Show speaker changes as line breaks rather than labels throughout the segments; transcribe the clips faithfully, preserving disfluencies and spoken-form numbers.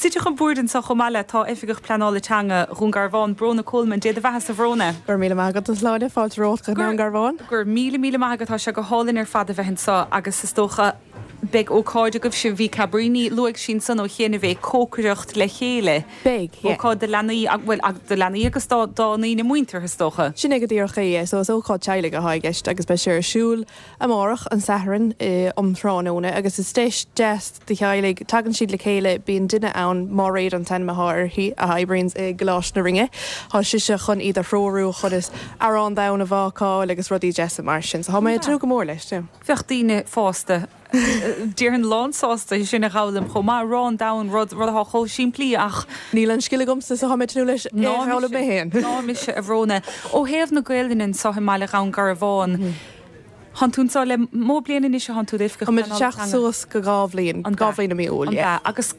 Suite chun boird anseo chomh maith le tá Oifigeach Pleanála Teanga Dhún Garbhán Bróna Coleman Dé do bheatha a Bhróna.
Gur míle maith agat Sláine fáilte romhat go Dún Garbhán?
Gur míle míle maith agat tá sé go hálainn ar fad a bheith anseo agus is dócha beidh ócáid agaibh sin bhí Cabríní luaigh sin san ó chéanna bheith cócaireacht le chéile.
Beidh
Ócáid do leanaí bhfuil do leanaí agus dá ndaoine muinteartha is dócha.
Sin é go díreach é so is ócáid teaghlaigh atá i gceist agus beidh sé ar siúl amárach an Satharn um thráthnóna agus is deis deas do theaghlaigh tagann siad le chéile bíonn duine ann Máiréad an t-ainm atá uirthi a oibríonn i gColáiste na Rinne Tá sise chun iad a threorú chun is arán donn a bhácáil agus rudaí deasa mar sin, so tá mé ag go mór leis.
Bheadh daoine fásta Déarfainn lánsásta sin a fhoghlaim chomh maith arán donn rud rud atá chomh simplí ach
Níl an scil agamsa so tá mé leis mé féin.
Ná mise a Bhróna ó thaobh na Gaelainne anseo i mbaile Dhún Garbhán. Tá tú anseo le mó bliana anois a tú
teacht suas go dhá bhliain an dhá bhliain mí Iúil
agus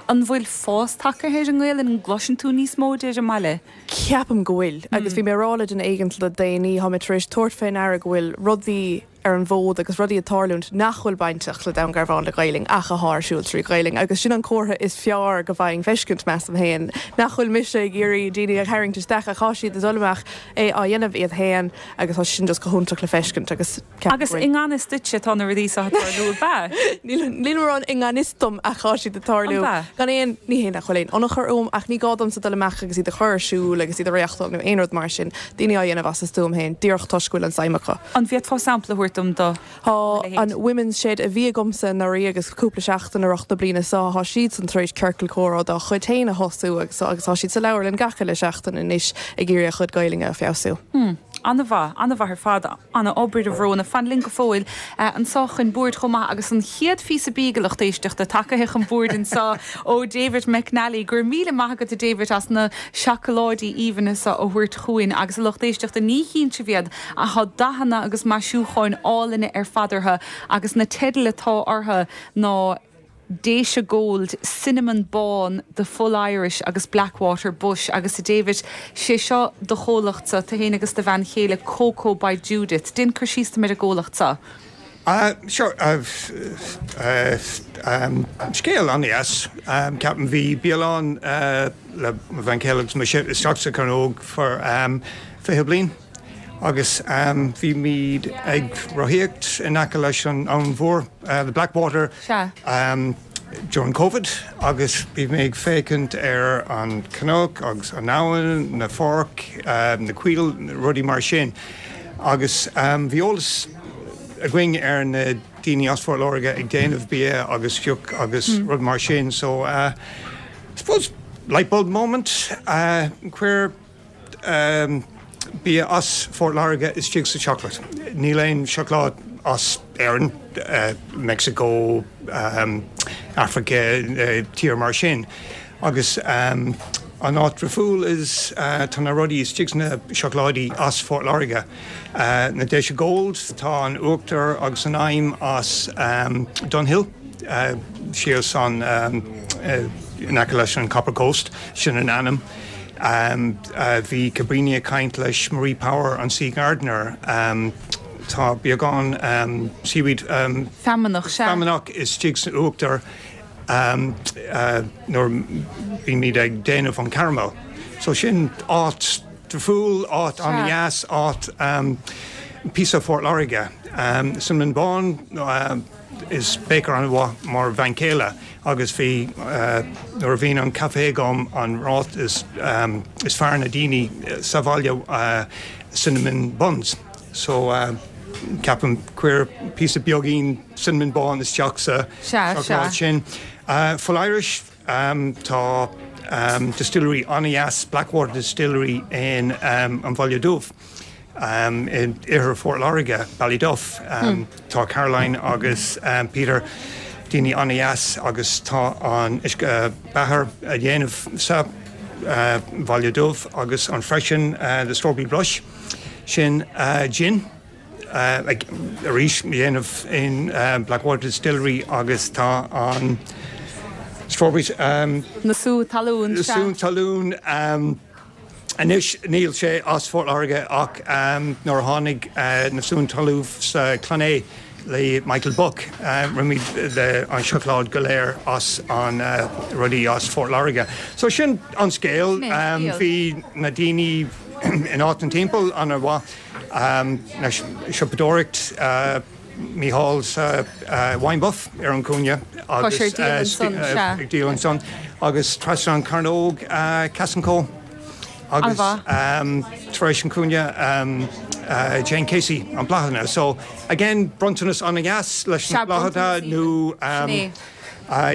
an bhfuil fás tagtha ar an nGaelainn an gcloiseann tú níos mó de an mbaile.
Ceapaim go bhfuil agus bhí mé ag rá le duine éigin le déanaí tá mé tar éis tabhairt faoi deara go bhfuil rudaí ar an bhfód agus rudaí ag tarlúint nach bhfuil bainteach le Dún Garbhán le Gaelainn ach atá ar siúl trí Ghaelainn agus sin an comhartha is fearr go bhfaighinn feiscint measaim féin nach bhfuil mise ag iarraidh daoine a tharraingt isteach a tá siad ag dul amach é á dhéanamh iad féin agus tá sin just go hiontach le feiscint agus
Agus i ngan fhios duitse tá na rudaí seo ag tarlú be.
Níl an i ngan fhios dom ach tá siad ag tarlú gan aon ní hé nach bhfuil aon ionchur uaim ach ní gá domsa dul amach agus iad a chur ar siúl agus iad a reáchtáil nó aon rud mar sin daoine á dhéanamh as a stuaim féin díreach toisc go bhfuil an suim acu.
An bhféadfá sampla a thabhairt dom do
Tá an Women's Shed a bhí agamsa nuair agus cúpla seachtain a na bliana seo tá siad san tar éis ciorcal comhrá dá chuid féin a thosú agus agus tá siad sa leabharlann gach uile seachtain anois ag iarraidh a chuid Gaelainne a fheabhsú.
Hmm. An-mhaith an-mhaith ar fad an-obair a Bhróna fan linn go fóill anseo chun boird chomh maith agus an chéad phíosa bídh a lucht éisteachta tagtha chun boird anseo ó David McNally gur míle maith agat David as na seacláidí aoibhinn seo a thabhairt chugainn agus a lucht éisteachta ní hiontas iad ach tá dathanna agus maisiúcháin álainne ar fad orthu agus na teidil atá orthu ná Déise Gold, Cinnamon Bán, The Full Irish agus Blackwater Bush agus a David sé seo do chomhlachtsa tú féin agus do bhean chéile Coco by Judith. Déan cur síos dom ar an gcomhlacht seo.
Uh, sure uh, uh, um, scéal an-deas um, ceapaim bhí bialann uh, le bhean chéile agus mise isteach sa Chearnóg for um, fiche bliain agus um, bhí muid ag rothaíocht in aice leis an an mhór uh, the Blackwater um, during COVID agus bhí mé ag féachaint ar an cnoc agus an abhainn na pháirc um, na coill rudaí mar sin agus um, bhí eolas againn ar na daoine as Port Láirge ag déanamh bia agus deoch agus mm. rud mar sin so uh, suppose light bulb moment uh, cuir um, bia as Phort Láirge istigh sa chocolate. Níl aon seacláid as Éirinn, uh, Mexico, um, Africa, uh, tír mar sin. Agus um, an áit difriúil is uh, tá na rudaí istigh na seacláidí as Phort Láirge. Uh, na Déise Gold tá an uachtar agus an im as um, Dunhill uh, síos an um, uh, in aice leis an Copper Coast sin an ainm. Um, uh, bhí Cabrini ag caint leis Marie Power an Sea Gardener. Um, tá beagán um, seaweed um,
Feamnach
feamnach istigh san uachtar um, uh, nuair bhí muid ag déanamh an caramel. So sin áit difriúil áit an-deas áit um, píosa Phort Láirge. Um, Cinnamon Bán uh, is baker an-mhaith mar bhean chéile agus bhí uh, nuair a bhíonn an caife agam an rud is, um, is fearr na daoine sa bhaile uh, cinnamon buns. So uh, ceapaim cuir píosa beagín cinnamon bán isteach sa sin. Uh, Full Irish um, tá um, distillery an-deas Blackwater Distillery in um, an Bhaile Dubh. Um, in iarthar Phort Láirge Ballyduff um, hmm. tá Caroline agus um, Peter daoine an-deas agus tá an uh, beatha a dhéanamh sa uh, Bhaile Dubh agus an freisin uh, the Strawberry Blush sin uh, gin uh, arís dhéanamh in uh, Blackwater Distillery agus tá an strawberries um,
na sú talún
sú talún um, Anois níl sé as Phort Láirge ach um, nuair tháinig uh, na sú talún sa Clanné le Michael Buck rinne muid an seacláid go léir as an rudaí as Fort Láirge. So sin an scéal bhí na daoine in áit an timpeall an-mhaith na siopadóireacht Mícheál sa Wine Buff ar an cúinne agus ag díol ansan agus trasna an Cearnóg Cass and Co. agus tar éis an cúinne Jane Casey an bláthanna. So again bronntanas an-deas leis na bláthanna nó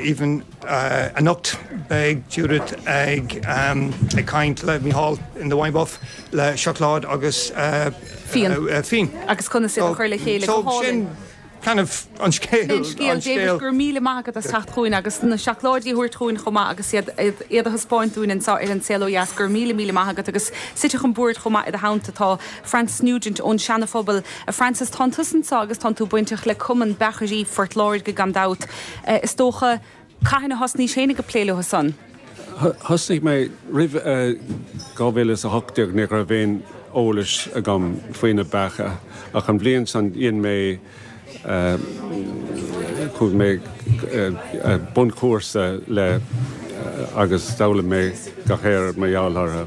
even anocht beidh Judith ag ag caint le Mícheál in the Wine Buff le seacláid agus fíon.
Agus conas iad a chur le chéile
So sin kind of an scéal
Scéal David gur míle maith agat as teacht chugainn agus na seacláidí a thabhairt chugainn chomh maith agus iad iad a thaispeáint dúinn anseo ar an Saol Ó Dheas gur míle míle maith agat agus suite chun boird chomh maith i do theannta tá Francis Nugent ón Seana-Phobal. Francis tá tusa anseo agus tá tú bainteach le Cumann Beachairí Phort Láirge gan dabht. Is dócha cathain a thosnaís féin ag plé leo san.
Thosnaigh mé roimh dhá mhíle is a hocht déag ní raibh aon eolas agam faoi na beacha ach an bhliain san dhein mé chuaigh mé bunchúrsa le agus d'fhoghlaim mé gach aon rud mar gheall orthu.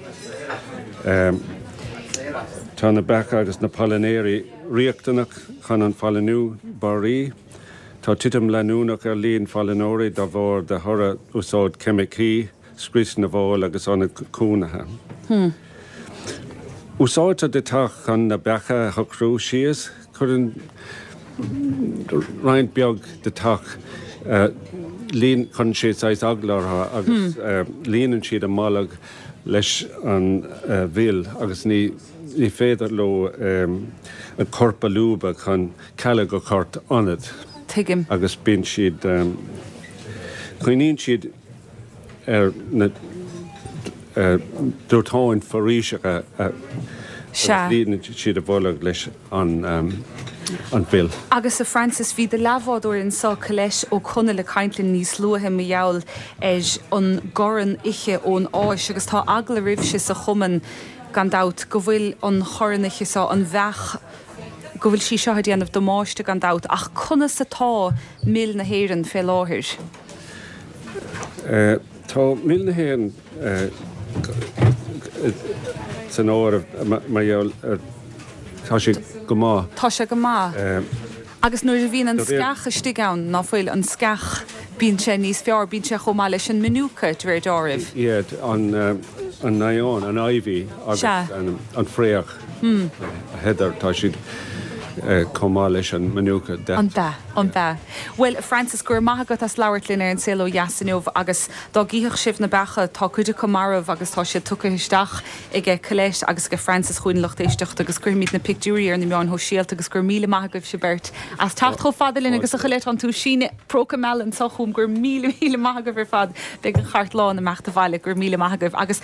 Tá na beacha agus na pailneoirí riachtanach chun an phailniú barraí. Tá titim leanúnach ar líon phailneoirí dá bharr de thoradh úsáid ceimicí, scrios na bhfál agus ionad cónaithe. Hmm. Úsáidtear deatach chun na beacha a shocrú síos, cuireann roinnt beag deatach líon cuireann sé saghas eagla orthu agus hmm. líonann siad a mbolg leis an mhil agus ní ní féidir leo a corp a lúbadh chun cealg a chur ionat.
Tuigim.
Agus bíonn siad coinníonn siad ar na dóiteáin foraoiseacha líonann siad a bholg leis an an mhil.
Agus a Francis bhí do leathbhádóir anseo Colette Ó Conaill ag caint linn níos luaithe mar gheall ar an gcorn oiche ón Áis agus tá eagla oraibhse sa chumann gan dabht go bhfuil an chorn oiche seo an bheach go bhfuil sí seo ag déanamh damáiste gan dabht ach conas atá mil na hÉireann fé láthair?
Tá mil na hÉireann san áireamh mar gheall tá sé go maith.
Tá sé go maith. Agus nuair a bhíonn an sceach istigh ann ná fuil an sceach bíonn sé níos fearr, bíonn sé chomh maith leis an Manuka de réir dealraimh.
Yeah, an an naíon, an ivy agus an fraoch heather tá siad chomh maith leis an Manuka.
An ea, an ea. Bhuel, Francis, go raibh maith agat as labhairt linn ar an Saol Ó Dheas inniu agus dá gcífeadh sibh na beacha, tá cuid acu marbh agus tá siad tugtha isteach aige Colette agus aige Francis chugainn lucht éisteachta agus cuirfimid na pictiúirí ar na meáin shóisialta agus go raibh míle maith agaibhse beirt as teacht chomh fada linn agus a Cholette tá tú ag síneadh próca meala anseo chugam go raibh míle míle maith agaibh ar fad beidh an chairt lán ag imeacht abhaile go raibh míle maith agaibh agus